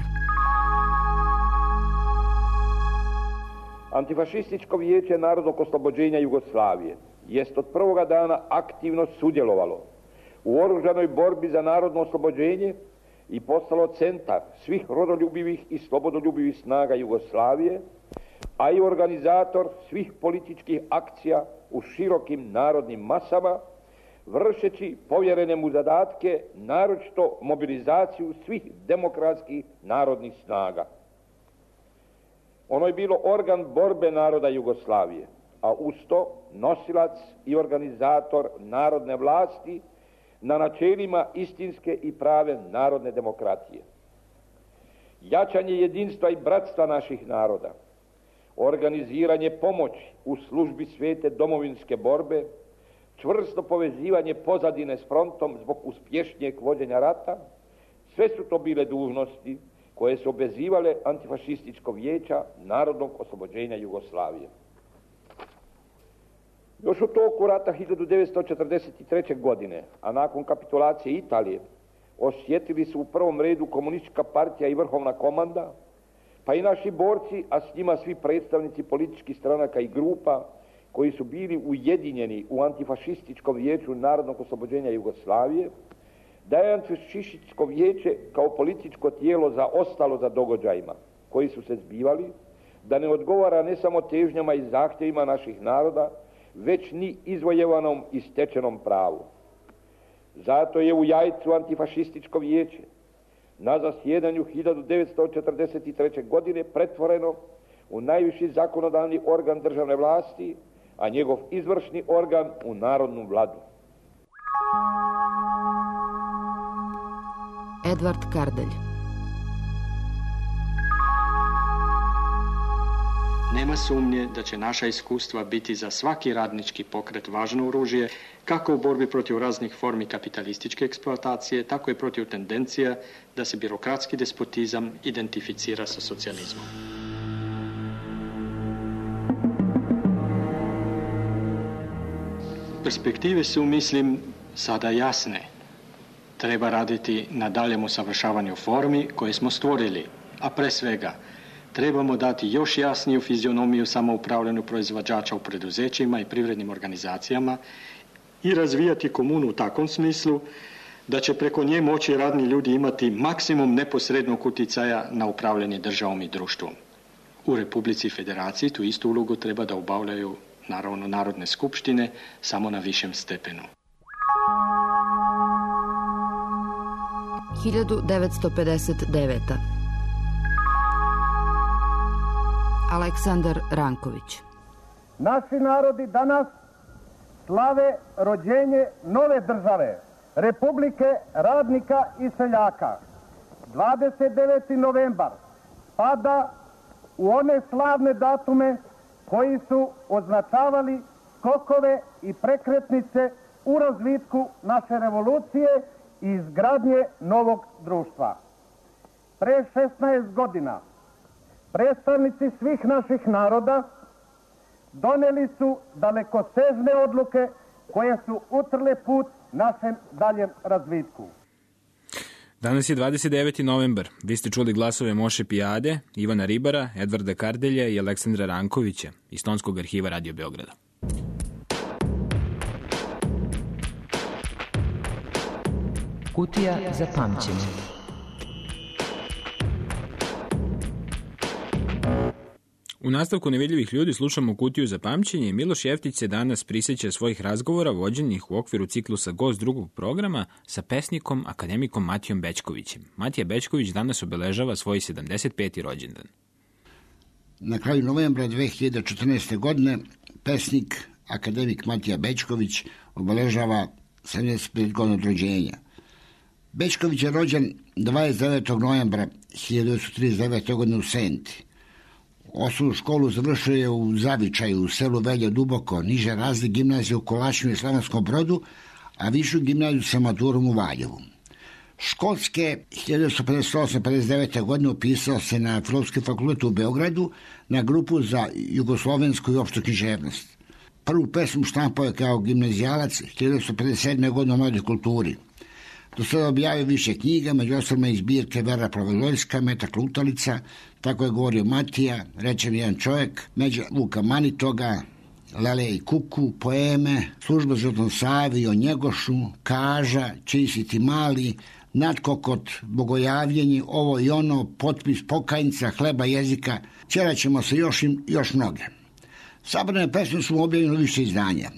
Antifašističko vijeće Narodnog oslobođenja Jugoslavije jest od prvoga dana aktivno sudjelovalo u oružanoj borbi za narodno oslobođenje i postalo centar svih rodoljubivih i slobodoljubivih snaga Jugoslavije, a i organizator svih političkih akcija u širokim narodnim masama, vršeći povjerene mu zadatke, naročito mobilizaciju svih demokratskih narodnih snaga. Ono je bilo organ borbe naroda Jugoslavije, a uz to nosilac i organizator narodne vlasti na načelima istinske i prave narodne demokratije. Jačanje jedinstva i bratstva naših naroda, organiziranje pomoći u službi svete domovinske borbe, čvrsto povezivanje pozadine s frontom zbog uspješnijeg vođenja rata, sve su to bile dužnosti koje su obvezivale Antifašističko vijeća Narodnog oslobođenja Jugoslavije. Još u toku rata 1943. godine, a nakon kapitulacije Italije, osjetili su u prvom redu Komunistička partija i vrhovna komanda, pa i naši borci, a s njima svi predstavnici političkih stranaka i grupa koji su bili ujedinjeni u Antifašističkom vijeću Narodnog oslobođenja Jugoslavije, da je Antifašističko vijeće kao političko tijelo zaostalo za događajima koji su se zbivali, da ne odgovara ne samo težnjama i zahtjevima naših naroda, već ni izvojevanom i stečenom pravu. Zato je u Jajcu Antifašističko vijeće na zasjedanju 1943. godine pretvoreno u najviši zakonodavni organ državne vlasti, a njegov izvršni organ u narodnu vladu. Edvard Kardelj. Nema sumnje da će naša iskustva biti za svaki radnički pokret važno oružje, kako u borbi protiv raznih formi kapitalističke eksploatacije, tako i protiv tendencija da se birokratski despotizam identificira sa socijalizmom. Perspektive su, mislim, sada jasne. Treba raditi na daljem usavršavanju formi koje smo stvorili, a pre svega Trebamo dati još jasniju fizionomiju samoupravljanju proizvođača u preduzećima i privrednim organizacijama i razvijati komunu u takvom smislu da će preko nje moći radni ljudi imati maksimum neposrednog utjecaja na upravljanje državom i društvom. U Republici i Federaciji tu istu ulogu treba da obavljaju naravno narodne skupštine samo na višem stepenu. 1959. Aleksandar Ranković. Naši narodi danas slave rođenje nove države, Republike radnika i seljaka. 29. novembar spada u one slavne datume koji su označavali skokove i prekretnice u razvitku naše revolucije i izgradnje novog društva. Pre 16 godina predstavnici svih naših naroda doneli su dalekosežne odluke koje su utrle put našem daljem razvitku. Danas je 29. novembar. Vi ste čuli glasove Moše Pijade, Ivana Ribara, Edvarda Kardelja i Aleksandra Rankovića iz Tonskog arhiva Radio Beograda. Kutija za pamćenje. U nastavku Nevidljivih ljudi slušamo Kutiju za pamćenje i Miloš Jeftić se danas prisjeća svojih razgovora vođenih u okviru ciklusa Gost drugog programa sa pesnikom, akademikom Matijom Bećkovićem. Matija Bećković danas obeležava svoj 75. rođendan. Na kraju novembra 2014. godine pesnik, akademik Matija Bećković obeležava 75 godina od rođenja. Bećković je rođen 29. novembra 1939. godine u Senti. Osnovnu školu završio je u Zavičaju, u selu Velje Duboko, niže razred gimnazije u Kolačinu i Slavonskom Brodu, a višu gimnaziju sa maturom u Valjevu. Školske 1958-59. godine upisao se na Filozofski fakultet u Beogradu na grupu za jugoslovensku i opštu književnost. Prvu pesmu štampao je kao gimnazijalac 1957. godine u Mladoj kulturi. Do sada objavio više knjiga, među ostalima iz zbirke Vera Provaljojska, Metak Lutalica, Tako je govorio Matija, Reče mi jedan čovjek, Međa Vuka Manitoga, Lele i Kuku, poeme, Služba za Zlatom Savi, O Njegošu, Kaža, Čiji si ti mali, Nadkokot, Bogojavljenje, Ovo i ono, Potpis pokajnica, Hleba jezika, ćeraćemo se još mnoge. Sabrane pesme su objavljene u više izdanja.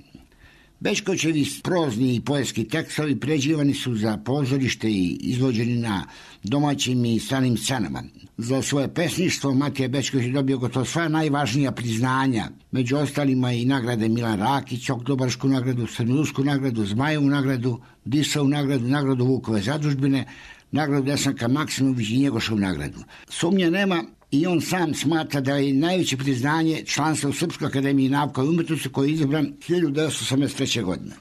Bećkovićevi prozni i poetski tekstovi pređivani su za pozorište i izvođeni na domaćim i stranim scenama. Za svoje pesništvo Matija Bećković je dobio gotovo sva najvažnija priznanja, među ostalima i nagrade Milan Rakić, Oktobarsku nagradu, Srednjosku nagradu, Zmajevu nagradu, Disovu nagradu, nagradu Vukove zadužbine, nagradu Desanka Maksimović i Njegošovu nagradu. Sumnje nema i on sam smatra da je najveće priznanje članstva u Srpskoj akademiji nauka i umetnosti koji je izabran 1983. godine.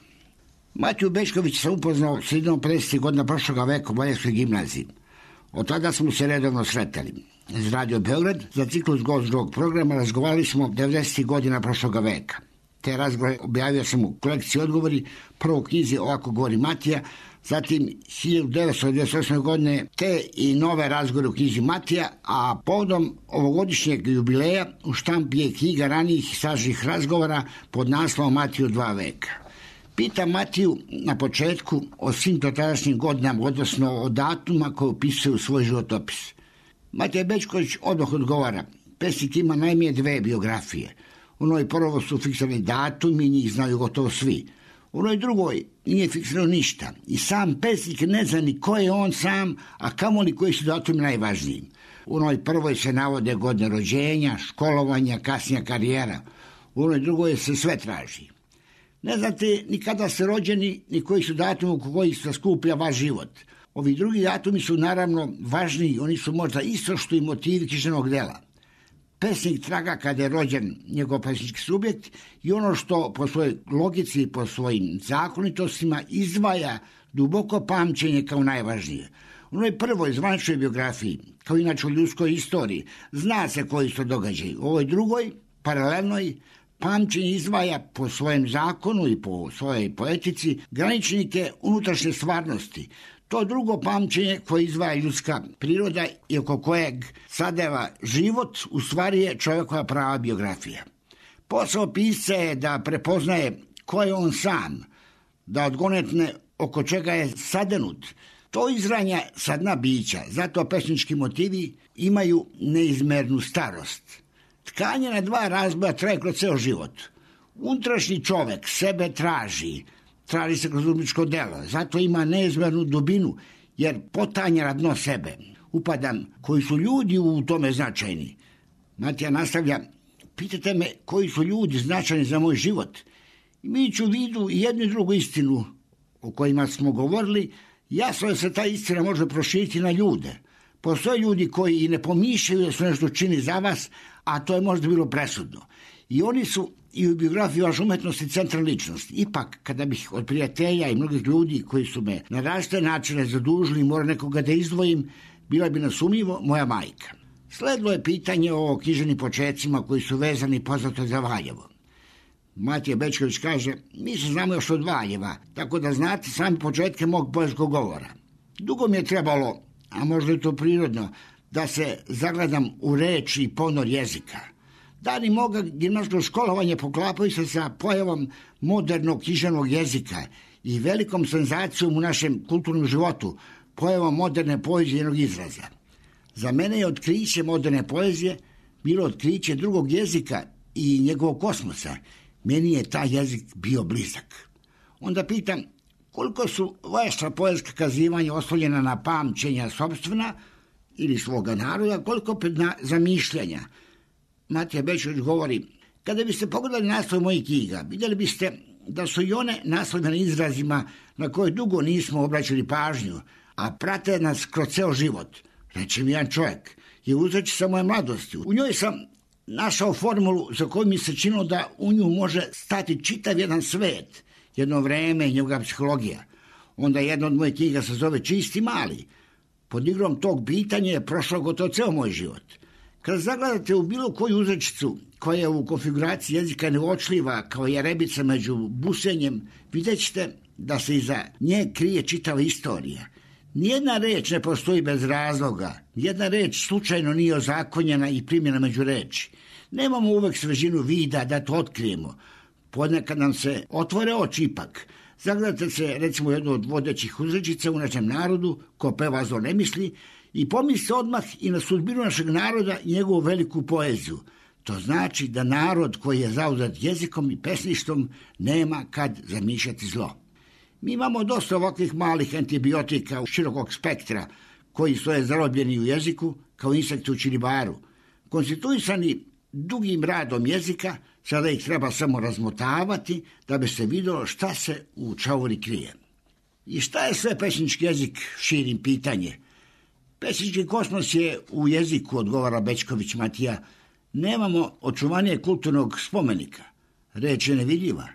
Matiju Bećković sam upoznao sredinom 50. godina prošloga veka u Valjevskoj gimnaziji. Od tada smo se redovno sretali. Iz Radio Beograd za ciklus Gost drugog programa razgovarali smo 90. godina prošloga veka. Te razgovore objavio sam u kolekciji Odgovori, prvo u knjizi Ovako govori Matija, zatim 1998. godine te i nove razgovore u knjizi Matija, a povodom ovogodišnjeg jubileja u štampi je knjiga ranijih sažih razgovora pod naslovom Matiju 2 veka. Pita Matiju na početku o svim tadašnjim godinama, odnosno o datuma koje upisuje u svoj životopis. Matija Bećković odmah odgovara, pesnik ima najmije 2 biografije. U onoj prvo su fiksirani datumi, njih znaju gotovo svi. U onoj drugoj nije fiksirano ništa i sam pesnik ne zna ni ko je on sam, a kamoli koji su datumi najvažniji. U onoj prvoj se navode godine rođenja, školovanja, kasnija karijera. U onoj drugoj se sve traži. Ne znate ni kada ste rođeni, ni koji su datumi u kojih se skuplja vaš život. Ovi drugi datumi su naravno važniji, oni su možda isto što i motivi književnog dela. Pesnik traga kada je rođen njegov pesnički subjekt i ono što po svojoj logici i po svojim zakonitostima izdvaja duboko pamćenje kao najvažnije. U onoj prvoj zvaničnoj biografiji, kao inače u ljudskoj istoriji, zna se koji su događaji. U ovoj drugoj, paralelnoj, pamćenje izdvaja po svojem zakonu i po svojoj poetici graničnike unutrašnje stvarnosti. To drugo pamćenje koje izdvaja ljudska priroda i oko kojeg sadeva život, u stvari je čovjekova prava biografija. Posao pisca je da prepoznaje ko je on sam, da odgonetne oko čega je sadenut. To izranja sa dna bića, zato pesnički motivi imaju neizmernu starost. Tkanje na dva razboja traje kroz ceo život. Unutrašnji čovek sebe traži se kroz umetničko delo, zato ima neizmernu dubinu, jer potanja na dno sebe. Upadam, koji su ljudi u tome značajni. Matija nastavlja, pitate me koji su ljudi značajni za moj život. Imajući u vidu i jednu i drugu istinu o kojima smo govorili, jasno je da se ta istina može proširiti na ljude. Postoje ljudi koji i ne pomišljaju da su nešto čini za vas, a to je možda bilo presudno. I oni su i u biografiji vaše umetnosti centralna ličnost. Ipak, kada bih od prijatelja i mnogih ljudi koji su me na različite načine zadužili i mora nekoga da izdvojim, bila bi nasumnjivo moja majka. Sledilo je pitanje o književnim počecima koji su vezani poznato za Valjevo. Matija Bećković kaže, mi se znamo još od Valjeva, tako da znate sami početke mog poetskog govora. Dugo mi je trebalo, a možda je to prirodno, da se zagledam u reči i ponor jezika. Dani moga gimnazijskog školovanja poklapaju se sa pojavom modernog književnog jezika i velikom senzacijom u našem kulturnom životu, pojavom moderne poezije i jednog izraza. Za mene je otkriće moderne poezije bilo otkriće drugog jezika i njegovog kosmosa. Meni je taj jezik bio blizak. Onda pitam, koliko su vaša poetska kazivanja oslovljena na pamćenja sopstvena ili svoga naroda, koliko opet na zamišljanja. Matija Bećković govori, kada biste pogledali naslov mojih knjiga, vidjeli biste da su i one naslovljene izrazima na koje dugo nismo obraćali pažnju, a prate nas kroz ceo život. Reče mi jedan čovjek, je uzreći sa moje mladosti. U njoj sam našao formulu za koju mi se činilo da u nju može stati čitav jedan svet, jedno vreme i njegova psihologija. Onda jedna od mojih knjiga se zove Čisti mali. Pod igrom tog pitanja je prošao gotovo ceo moj život. Kada zagledate u bilo koju uzrečicu koja je u konfiguraciji jezika neuočljiva kao jerebica među busenjem, vidjet ćete da se iza nje krije čitava istorija. Nijedna reč ne postoji bez razloga, nijedna reč slučajno nije ozakonjena i primjena među reči. Nemamo uvek svežinu vida da to otkrijemo. Ponekad nam se otvore oči ipak. Zagledate se recimo jednu od vodećih uzrečica u našem narodu, ko peva zlo ne misli, i pomisli odmah i na sudbinu našeg naroda i njegovu veliku poeziju. To znači da narod koji je zauzet jezikom i pesništvom nema kad zamišljati zlo. Mi imamo dosta ovakvih malih antibiotika širokog spektra koji stoje zarobljeni u jeziku kao insekti u čilibaru. Konstituisani dugim radom jezika, sada ih treba samo razmotavati da bi se vidjelo šta se u čauri krije. I šta je sve pesnički jezik, širim pitanje. Pesnički kosmos je u jeziku, odgovara Bećković Matija. Nemamo očuvanije kulturnog spomenika. Reč je nevidljiva.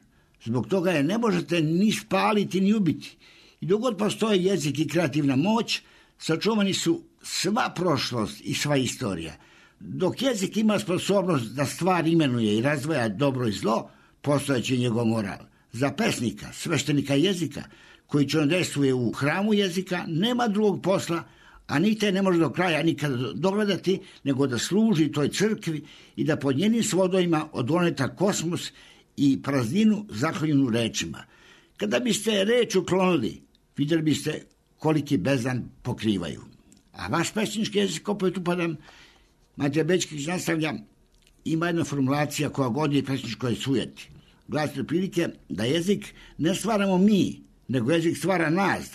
Zbog toga je ne možete ni spaliti ni ubiti. I dok god postoji jezik i kreativna moć, sačuvani su sva prošlost i sva istorija. Dok jezik ima sposobnost da stvar imenuje i razdvaja dobro i zlo, postojeći njegov moral. Za pesnika, sveštenika jezika, koji čudodejstvuje u hramu jezika, nema drugog posla, a ni te ne može do kraja nikada dogledati, nego da služi toj crkvi i da pod njenim svodovima odgoneta kosmos i prazninu zaklonjenu rečima. Kada biste reč uklonili, vidjeli biste koliki bezdan pokrivaju. A vaš pesnički jezik, opet upadam, Matija Bećković nastavlja, ima jedna formulacija koja godi pesničkoj sujeti. Glasi prilike da jezik ne stvaramo mi, nego jezik stvara nas,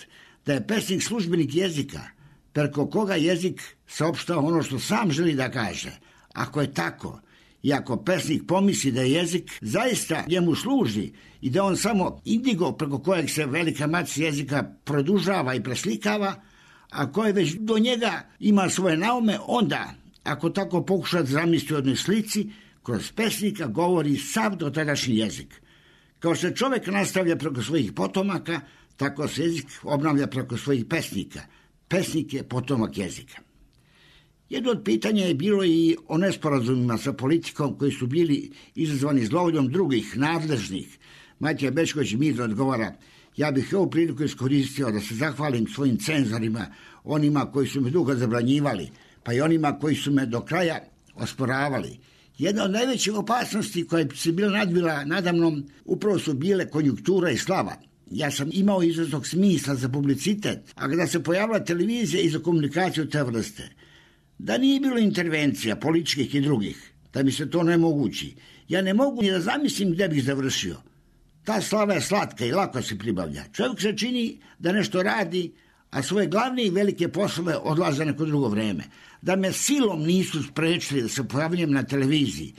da je pesnik službenik jezika, preko koga jezik saopštava ono što sam želi da kaže. Ako je tako, i ako pesnik pomisli da je jezik zaista njemu služi i da on samo indigo preko kojeg se velika matica jezika produžava i preslikava, a koje već do njega ima svoje naume, onda, ako tako pokušati zamisliti u jednoj slici, kroz pesnika govori sav dotadašnji jezik. Kao što čovjek nastavlja preko svojih potomaka, tako se jezik obnavlja preko svojih pesnika. Pesnik je potomak jezika. Jedno od pitanja je bilo i o nesporazumima sa politikom koji su bili izazvani zlovoljom drugih nadležnih Matija Bećković mirno odgovara: ja bih ovu priliku iskoristio da se zahvalim svojim cenzorima, onima koji su me dugo zabranjivali, pa i onima koji su me do kraja osporavali. Jedna od najvećih opasnosti koja se bila nadvila nadamnom upravo su bile konjunktura i slava. Ja sam imao izraznog smisla za publicitet, a kada se pojavila televizija i za komunikaciju te vrste, da nije bilo intervencija političkih i drugih, da mi se to ne mogući, ja ne mogu ni da zamislim gde bih završio. Ta slava je slatka i lako se pribavlja. Čovjek se čini da nešto radi, a svoje glavne i velike poslove odlaze neko drugo vreme. Da me silom nisu sprečili da se pojavljam na televiziji,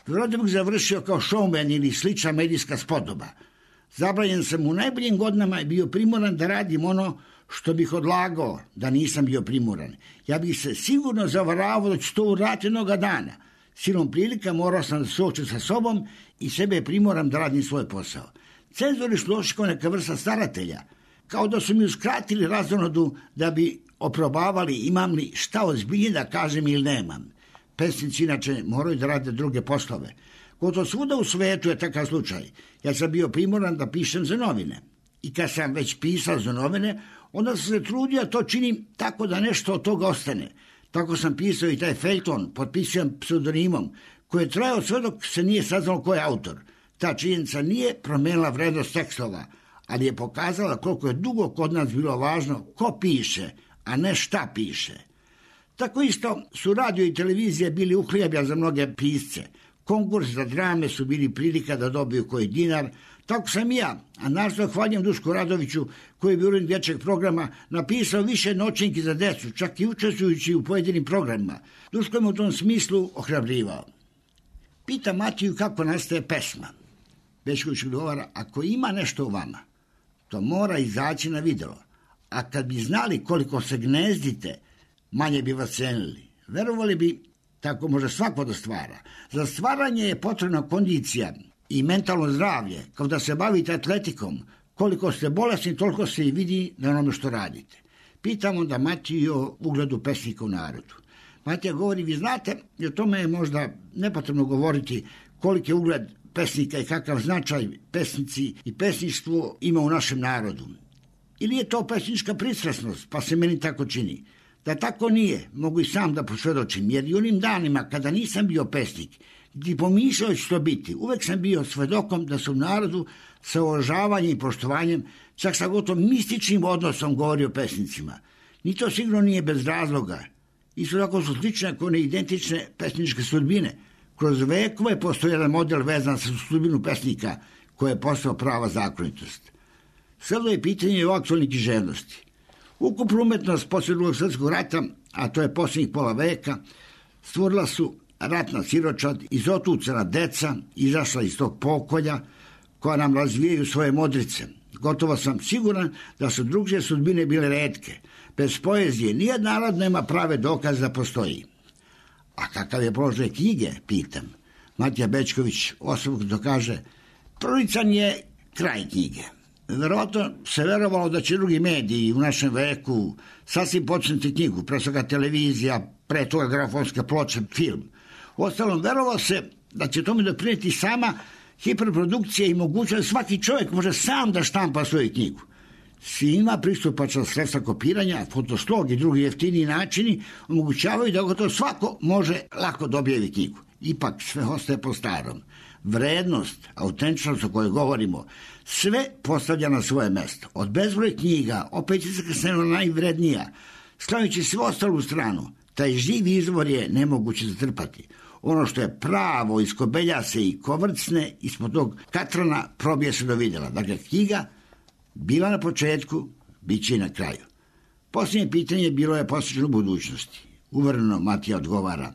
vjerojatno bih završio kao showman ili slična medijska spodoba. Zabranjen sam u najboljim godinama i bio primoran da radim ono što bih odlagao da nisam bio primoran. Ja bih se sigurno zavaravao da ću to uraditi jednoga dana. Silom prilika morao sam da se suočim sa sobom i sebe primoram da radim svoj posao. Cenzori su došli kao neka vrsta staratelja, kao da su mi uskratili razonodu da bi oprobavali imam li šta ozbiljnije da kažem ili nemam. Pesnici inače moraju da rade druge poslove. Gotovo svuda u svetu je takav slučaj. Ja sam bio primoran da pišem za novine. I kad sam već pisao za novine, onda sam se trudio to činim tako da nešto od toga ostane. Tako sam pisao i taj feljton, potpisujem pseudonimom, koji je trajao sve dok se nije saznalo ko je autor. Ta činjenica nije promenila vrednost tekstova, ali je pokazala koliko je dugo kod nas bilo važno ko piše, a ne šta piše. Tako isto su radio i televizije bili uhljebja za mnoge pisce. Konkursi za drame su bili prilika da dobiju koji dinar. Tako sam i ja, a naravno hvaljujem Dušku Radoviću, koji je bio urednik dječjeg programa, napisao više noćenki za decu, čak i učestvujući u pojedinim programima. Duško je u tom smislu ohrabrivao. Pita Matiju kako nastaje pesma. Bećković odgovara: ako ima nešto u vama, to mora izaći na videlo. A kad bi znali koliko se gnezdite, manje bi vas cenili. Verovali bi, tako može svako da stvara. Za stvaranje je potrebna kondicija i mentalno zdravlje, kao da se bavite atletikom. Koliko ste bolesni, toliko se i vidi na onome što radite. Pitam onda Matiju o ugledu pesnika u narodu. Matija govori: vi znate, i o tome je možda nepotrebno govoriti koliki je ugled pesnika i kakav značaj pesnici i pesništvo ima u našem narodu. Ili je to pesnička pristrasnost, pa se meni tako čini. Da tako nije, mogu i sam da posvjedočim, jer i onim danima kada nisam bio pesnik, gdje pomišljao ću to biti, uvek sam bio svedokom da se u narodu sa uvažavanjem i poštovanjem, čak sa gotovo mističnim odnosom govori o pesnicima. Ni to sigurno nije bez razloga. Isto tako su slične ako ne identične pesničke sudbine. Kroz vekove postoji jedan model vezan sa sudbinu pesnika koja je postao prava zakonitost. Sada je pitanje o aktualnih književnosti. Ukupnu umetnost poslije Drugog svjetskog rata, a to je posljednjih pola veka, stvorila su ratna siročad, izotucana deca, izašla iz tog pokolja, koja nam razvijaju svoje modrice. Gotovo sam siguran da su drugše sudbine bile retke. Bez poezije nijedan narod nema prave dokaze da postoji. A kakav je položaj knjige, pitam. Matija Bećković osobno kaže: prolican je kraj knjige. Verovatno se verovalo da će drugi mediji u našem veku sasvim početi knjigu, pre svega televizija, pre toga gramofonske ploče, film. Uostalom, verovalo se da će tome doprinijeti sama hiperprodukcija i mogućnost svaki čovjek može sam da štampa svoju knjigu. Svima pristupačna sredstva kopiranja, fotoslog i drugi jeftiniji načini omogućavaju da gotovo svako može lako dobijeti knjigu. Ipak sve ostaje po starom. Vrednost, autentičnost o kojoj govorimo, sve postavlja na svoje mesto. Od bezbroj knjiga, opet je zakasneno najvrednija. Stavljajući sve ostalu stranu, taj živ izvor je nemoguće zatrpati. Ono što je pravo iskobelja se i kovrcne, ispod tog katrana probije se do vidjela. Dakle, knjiga bila na početku, bit će i na kraju. Posljednje pitanje bilo je posvećeno budućnosti. Uvereno Matija odgovara: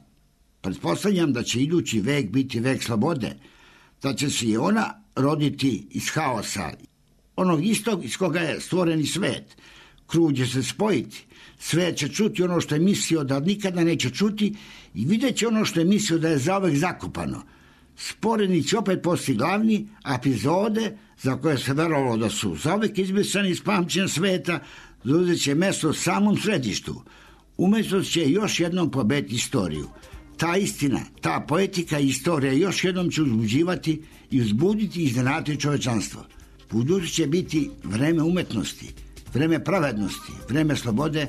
pretpostavljam da će idući vek biti vek slobode, da će se i ona roditi iz haosa, onog istog iz koga je stvoreni svet. Krug će se spojiti, svet će čuti ono što je mislio da nikada neće čuti i vidjet će ono što je mislio da je zauvek zakopano. Sporedni će opet postati glavni, a epizode za koje se verovalo da su zauvek izbrisani iz pamćenja sveta zauzet će mesto u samom središtu. Umjetnost će još jednom pobediti istoriju. Ta istina, ta poetika i istorija još jednom će uzbuđivati i uzbuditi i iznenaditi čovečanstvo. Budući će biti vreme umetnosti, vreme pravednosti, vreme slobode,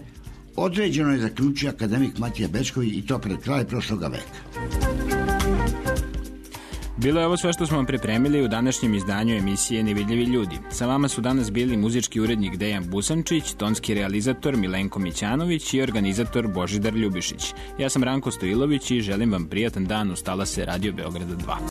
određeno je, zaključio akademik Matija Bećković, i to pred kraj prošloga veka. Bilo je ovo sve što smo vam pripremili u današnjem izdanju emisije Nevidljivi ljudi. Sa vama su danas bili muzički urednik Dejan Busančić, tonski realizator Milenko Mićanović i organizator Božidar Ljubišić. Ja sam Ranko Stojilović i želim vam prijatan dan uz talase Radio Beograda 2.